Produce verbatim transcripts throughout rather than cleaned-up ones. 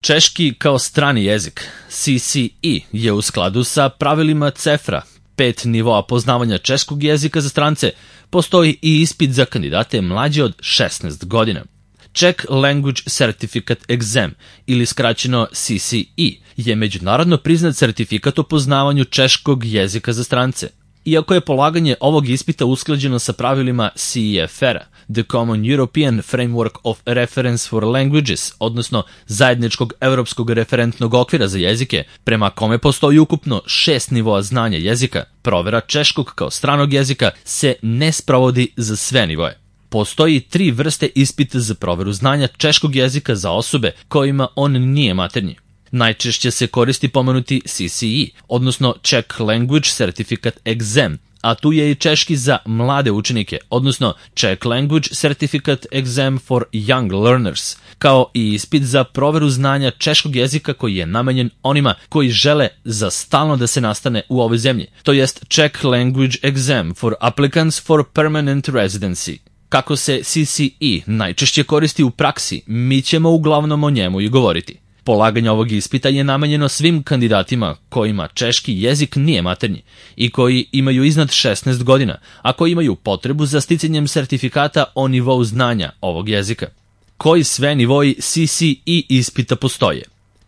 Češki kao strani jezik, C C E, je u skladu sa pravilima CEFRA, pet nivoa poznavanja češkog jezika za strance. Postoji i ispit za kandidate mlađe od šesnaest godina. Czech Language Certificate Exam, ili skraćeno C C E, je međunarodno priznat sertifikat o poznavanju češkog jezika za strance. Iako je polaganje ovog ispita usklađeno sa pravilima C E F R-a, The Common European Framework of Reference for Languages, odnosno zajedničkog evropskog referentnog okvira za jezike, prema kome postoji ukupno šest nivoa znanja jezika, provera češkog kao stranog jezika se ne sprovodi za sve nivoe. Postoji tri vrste ispita za proveru znanja češkog jezika za osobe kojima on nije maternji. Najčešće se koristi pomenuti C C E, odnosno Czech Language Certificate Exam, a tu je i češki za mlade učenike, odnosno Czech Language Certificate Exam for Young Learners, kao i ispit za proveru znanja češkog jezika koji je namenjen onima koji žele za stalno da se nastane u ovoj zemlji, to jest Czech Language Exam for Applicants for Permanent Residency. Kako se C C E najčešće koristi u praksi, mi ćemo uglavnom o njemu i govoriti. Polaganje ovog ispita je namenjeno svim kandidatima kojima češki jezik nije maternji i koji imaju iznad šesnaest godina, a koji imaju potrebu za sticanjem sertifikata o nivou znanja ovog jezika. Koji sve nivoi C C E ispita postoje?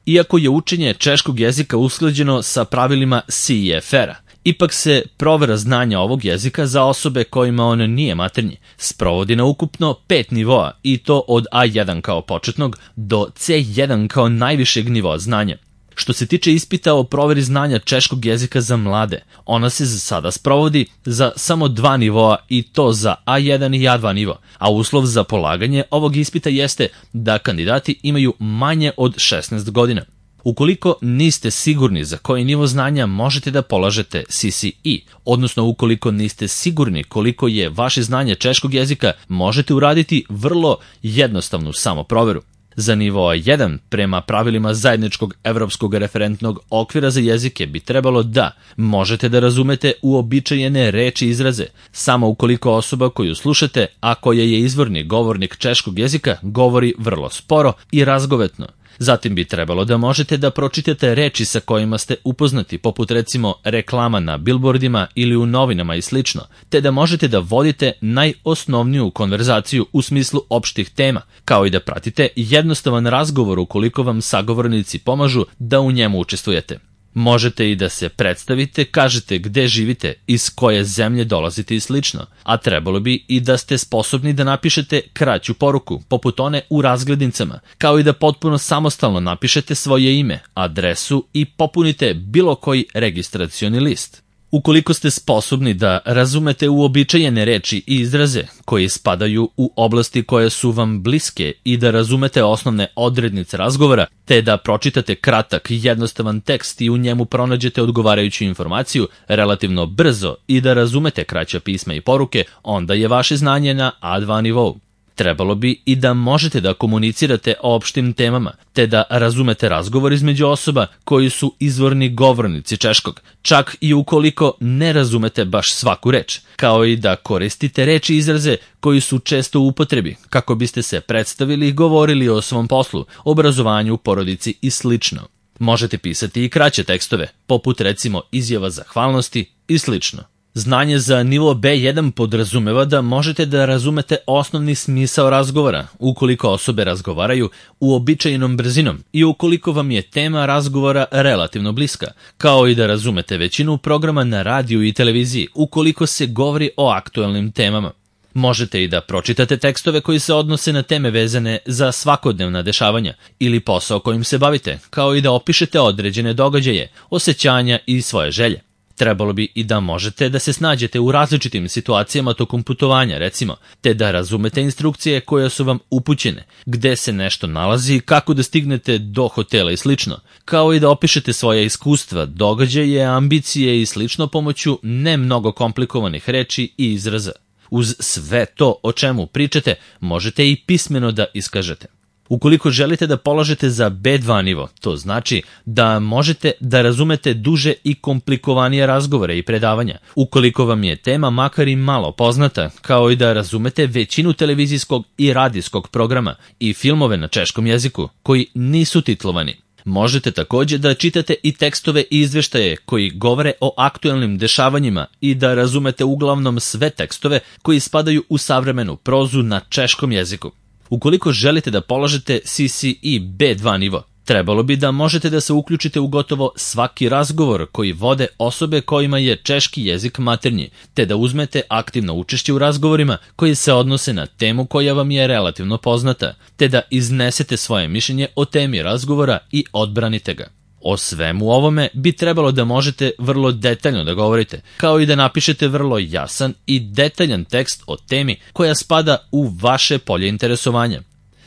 Iako je učenje češkog jezika usklađeno sa pravilima C E F R-a, ipak se provera znanja ovog jezika za osobe kojima on nije maternji sprovodi na ukupno pet nivoa, i to od A jedan kao početnog do C jedan kao najvišeg nivoa znanja. Što se tiče ispita o proveri znanja češkog jezika za mlade, ona se za sada sprovodi za samo dva nivoa, i to za A jedan i A dva nivo, a uslov za polaganje ovog ispita jeste da kandidati imaju manje od šesnaest godina. Ukoliko niste sigurni za koji nivo znanja možete da polažete C C E, odnosno ukoliko niste sigurni koliko je vaše znanje češkog jezika, možete uraditi vrlo jednostavnu samoproveru. Za nivo A jedan, prema pravilima zajedničkog evropskog referentnog okvira za jezike, bi trebalo da možete da razumete uobičajene reči i izraze, samo ukoliko osoba koju slušate, a koja je izvorni govornik češkog jezika, govori vrlo sporo i razgovetno. Zatim bi trebalo da možete da pročitate reči sa kojima ste upoznati, poput recimo reklama na bilbordima ili u novinama i slično, te da možete da vodite najosnovniju konverzaciju u smislu opštih tema, kao i da pratite jednostavan razgovor ukoliko vam sagovornici pomažu da u njemu učestvujete. Možete i da se predstavite, kažete gde živite, iz koje zemlje dolazite i slično, a trebalo bi i da ste sposobni da napišete kraću poruku, poput one u razglednicama, kao i da potpuno samostalno napišete svoje ime, adresu i popunite bilo koji registracioni list. Ukoliko ste sposobni da razumete uobičajene reči i izraze koji spadaju u oblasti koje su vam bliske i da razumete osnovne odrednice razgovora, te da pročitate kratak i jednostavan tekst i u njemu pronađete odgovarajuću informaciju relativno brzo i da razumete kraća pisma i poruke, onda je vaše znanje na A dva nivou. Trebalo bi i da možete da komunicirate o opštim temama, te da razumete razgovor između osoba koji su izvorni govornici češkog, čak i ukoliko ne razumete baš svaku reč, kao i da koristite reči i izraze koji su često u upotrebi, kako biste se predstavili i govorili o svom poslu, obrazovanju, porodici i slično. Možete pisati i kraće tekstove, poput recimo izjava zahvalnosti i slično. Znanje za nivo B jedan podrazumeva da možete da razumete osnovni smisao razgovora, ukoliko osobe razgovaraju uobičajenom brzinom i ukoliko vam je tema razgovora relativno bliska, kao i da razumete većinu programa na radiju i televiziji, ukoliko se govori o aktuelnim temama. Možete i da pročitate tekstove koji se odnose na teme vezane za svakodnevna dešavanja ili posao kojim se bavite, kao i da opišete određene događaje, osjećanja i svoje želje. Trebalo bi i da možete da se snađete u različitim situacijama tokom putovanja, recimo, te da razumete instrukcije koje su vam upućene, gde se nešto nalazi, kako da stignete do hotela i slično, kao i da opišete svoje iskustva, događaje, ambicije i slično pomoću ne mnogo komplikovanih reči i izraza. Uz sve to o čemu pričate, možete i pismeno da iskažete. Ukoliko želite da polažete za be dva nivo, to znači da možete da razumete duže i komplikovanije razgovore i predavanja, ukoliko vam je tema makar i malo poznata, kao i da razumete većinu televizijskog i radijskog programa i filmove na češkom jeziku koji nisu titlovani. Možete takođe da čitate i tekstove i izveštaje koji govore o aktuelnim dešavanjima i da razumete uglavnom sve tekstove koji spadaju u savremenu prozu na češkom jeziku. Ukoliko želite da polažete C C E be dva nivo, trebalo bi da možete da se uključite u gotovo svaki razgovor koji vode osobe kojima je češki jezik maternji, te da uzmete aktivno učešće u razgovorima koji se odnose na temu koja vam je relativno poznata, te da iznesete svoje mišljenje o temi razgovora i odbranite ga. O svemu ovome bi trebalo da možete vrlo detaljno da govorite, kao i da napišete vrlo jasan i detaljan tekst o temi koja spada u vaše polje interesovanja.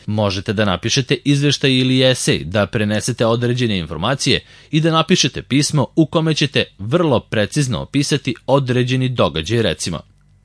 Možete da napišete izveštaj ili esej, da prenesete određene informacije i da napišete pismo u kome ćete vrlo precizno opisati određeni događaj, recimo.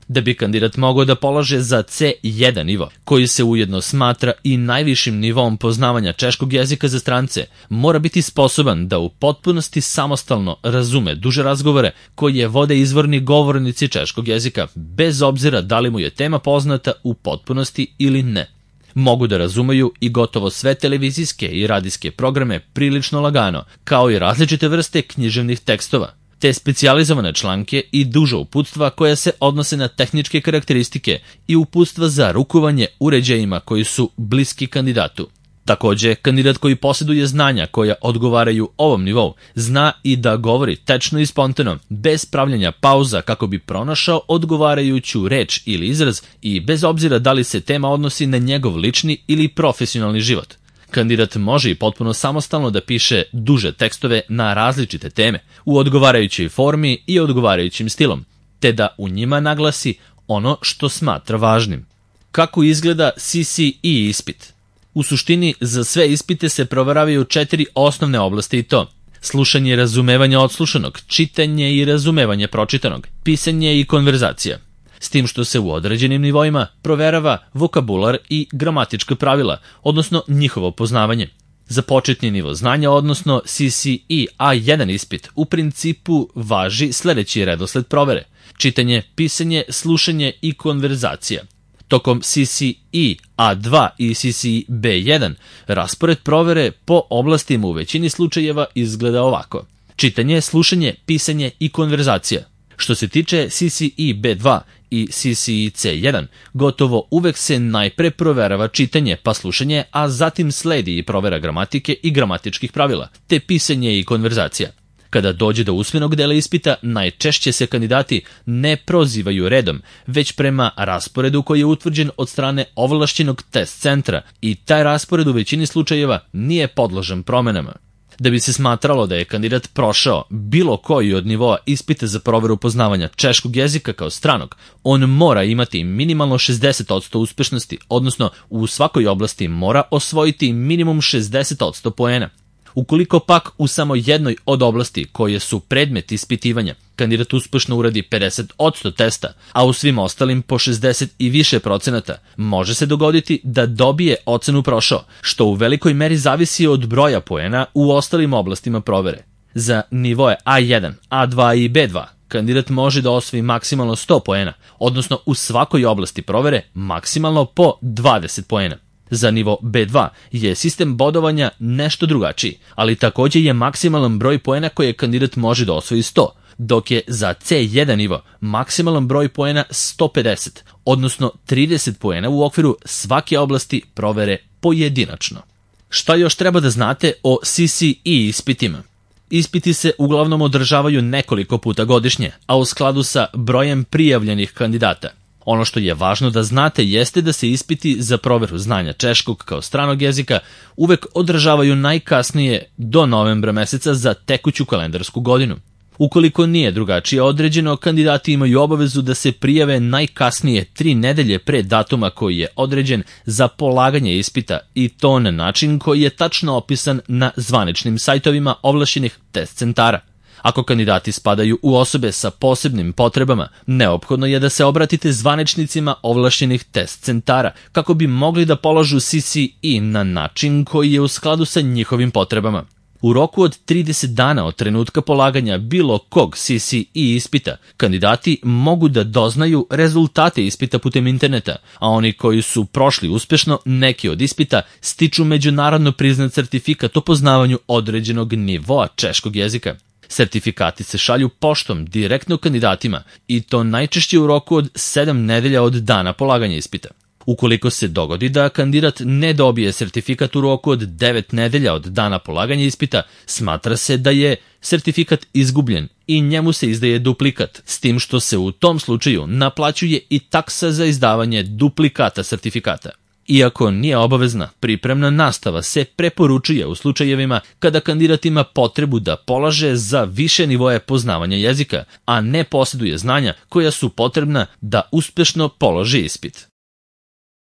Da bi kandidat mogao da polaže za ce jedan nivo, koji se ujedno smatra i najvišim nivom poznavanja češkog jezika za strance, mora biti sposoban da u potpunosti samostalno razume duže razgovore koje vode izvorni govornici češkog jezika, bez obzira da li mu je tema poznata u potpunosti ili ne. Mogu da razumeju i gotovo sve televizijske i radijske programe prilično lagano, kao i različite vrste književnih tekstova, te specijalizovane članke i duža uputstva koja se odnose na tehničke karakteristike i uputstva za rukovanje uređajima koji su bliski kandidatu. Takođe, kandidat koji posjeduje znanja koja odgovaraju ovom nivou, zna i da govori tečno i spontano, bez pravljanja pauza kako bi pronašao odgovarajuću reč ili izraz i bez obzira da li se tema odnosi na njegov lični ili profesionalni život. Kandidat može i potpuno samostalno da piše duže tekstove na različite teme, u odgovarajućoj formi i odgovarajućim stilom, te da u njima naglasi ono što smatra važnim. Kako izgleda C C E ispit? U suštini, za sve ispite se proveravaju četiri osnovne oblasti i to: slušanje i razumevanje odslušanog, čitanje i razumevanje pročitanog, pisanje i konverzacija. S tim što se u određenim nivoima proverava vokabular i gramatička pravila, odnosno njihovo poznavanje. Za početni nivo znanja, odnosno C C E A jedan ispit, u principu važi sledeći redosled provere: čitanje, pisanje, slušanje i konverzacija. Tokom C C E A dva i C C E be jedan raspored provere po oblastima u većini slučajeva izgleda ovako: čitanje, slušanje, pisanje i konverzacija. Što se tiče C C E be dva i C C E ce jedan, gotovo uvek se najpre proverava čitanje pa slušanje, a zatim sledi i provera gramatike i gramatičkih pravila, te pisanje i konverzacija. Kada dođe do usmenog dela ispita, najčešće se kandidati ne prozivaju redom, već prema rasporedu koji je utvrđen od strane ovlašćenog test centra i taj raspored u većini slučajeva nije podložan promenama. Da bi se smatralo da je kandidat prošao bilo koji od nivoa ispita za proveru poznavanja češkog jezika kao stranog, on mora imati minimalno šezdeset posto uspešnosti, odnosno u svakoj oblasti mora osvojiti minimum šezdeset posto poena. Ukoliko pak u samo jednoj od oblasti koje su predmet ispitivanja kandidat uspešno uradi pedeset posto testa, a u svim ostalim po šezdeset i više procenata, može se dogoditi da dobije ocenu prošao, što u velikoj meri zavisi od broja poena u ostalim oblastima provere. Za nivoe A jedan, A dva i be dva kandidat može da osvoji maksimalno sto poena, odnosno u svakoj oblasti provere maksimalno po dvadeset poena. Za nivo be dva je sistem bodovanja nešto drugačiji, ali takođe je maksimalan broj poena koje kandidat može da osvoji sto, dok je za ce jedan nivo maksimalan broj poena sto pedeset, odnosno trideset poena u okviru svake oblasti provere pojedinačno. Šta još treba da znate o C C E ispitima? Ispiti se uglavnom održavaju nekoliko puta godišnje, a u skladu sa brojem prijavljenih kandidata. Ono što je važno da znate jeste da se ispiti za proveru znanja češkog kao stranog jezika uvek održavaju najkasnije do novembra meseca za tekuću kalendarsku godinu. Ukoliko nije drugačije određeno, kandidati imaju obavezu da se prijave najkasnije tri nedelje pre datuma koji je određen za polaganje ispita i to na način koji je tačno opisan na zvaničnim sajtovima ovlašćenih test centara. Ako kandidati spadaju u osobe sa posebnim potrebama, neophodno je da se obratite zvaničnicima ovlašćenih test centara kako bi mogli da polažu C C E na način koji je u skladu sa njihovim potrebama. U roku od trideset dana od trenutka polaganja bilo kog C C E ispita, kandidati mogu da doznaju rezultate ispita putem interneta, a oni koji su prošli uspešno neki od ispita stiču međunarodno priznat sertifikat o poznavanju određenog nivoa češkog jezika. Sertifikati se šalju poštom direktno kandidatima i to najčešće u roku od sedam nedelja od dana polaganja ispita. Ukoliko se dogodi da kandidat ne dobije sertifikat u roku od devet nedelja od dana polaganja ispita, smatra se da je sertifikat izgubljen i njemu se izdaje duplikat, s tim što se u tom slučaju naplaćuje i taksa za izdavanje duplikata sertifikata. Iako nije obavezna, pripremna nastava se preporučuje u slučajevima kada kandidat ima potrebu da polaže za više nivoje poznavanja jezika, a ne posjeduje znanja koja su potrebna da uspešno položi ispit.